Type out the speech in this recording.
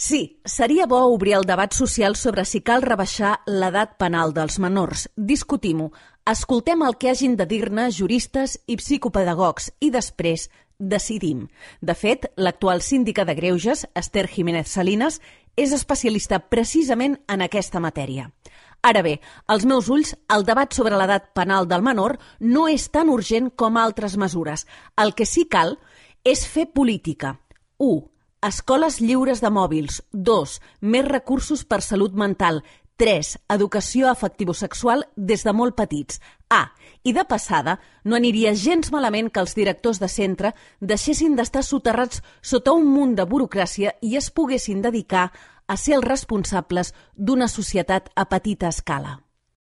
Sí, seria bo obrir el debat social sobre si cal rebaixar l'edat penal dels menors. Discutim-ho. Escoltem el que hagin de dir-ne juristes i psicopedagogs i després decidim. De fet, l'actual síndica de Greuges, Esther Jiménez Salinas, és especialista precisament en aquesta matèria. Ara bé, als meus ulls, el debat sobre l'edat penal del menor no és tan urgent com altres mesures. El que sí cal és fer política. 1. Escoles lliures de mòbils. 2. Més recursos per salut mental. 3. Educació afectivosexual des de molt petits. I de passada, no aniria gens malament que els directors de centre deixessin d'estar soterrats sota un munt de burocràcia i es poguessin dedicar a ser els responsables d'una societat a petita escala.